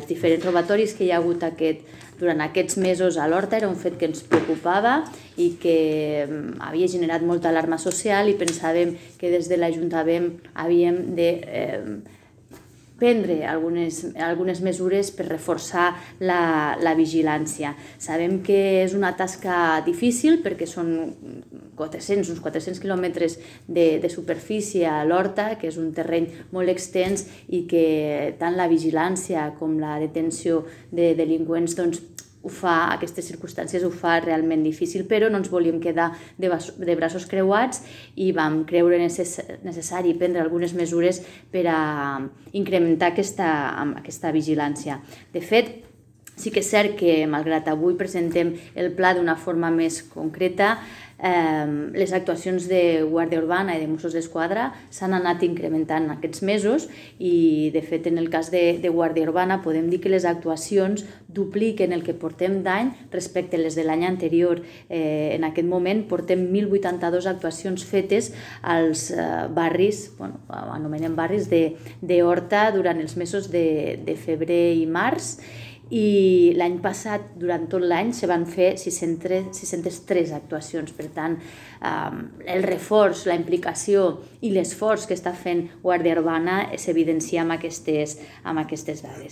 Els diferents robatoris que hi ha hagut durant aquests mesos a l'Horta era un fet que ens preocupava i que havia generat molta alarma social i pensàvem que des de l'Ajuntament havíem de prendre algunes mesures per reforçar la vigilància. Sabem que és una tasca difícil perquè són uns 400 quilòmetres de superfície a l'Horta, que és un terreny molt extens i que tant la vigilància com la detenció de delinqüents aquestes circumstàncies ho fa realment difícil, però no ens volíem quedar de braços creuats i vam creure necessari prendre algunes mesures per a incrementar aquesta vigilància. De fet, sí que és cert que, malgrat avui presentem el pla d'una forma més concreta, les actuacions de Guàrdia Urbana i de Mossos d'Esquadra s'han anat incrementant aquests mesos i, de fet, en el cas de Guàrdia Urbana podem dir que les actuacions dupliquen el que portem d'any respecte a les de l'any anterior. En aquest moment portem 1.082 actuacions fetes als barris, anomenem barris de Horta durant els mesos de febrer i març, i l'any passat, durant tot l'any, se van fer 603 actuacions. Per tant, el reforç, la implicació i l'esforç que està fent Guàrdia Urbana s'evidencia amb aquestes dades.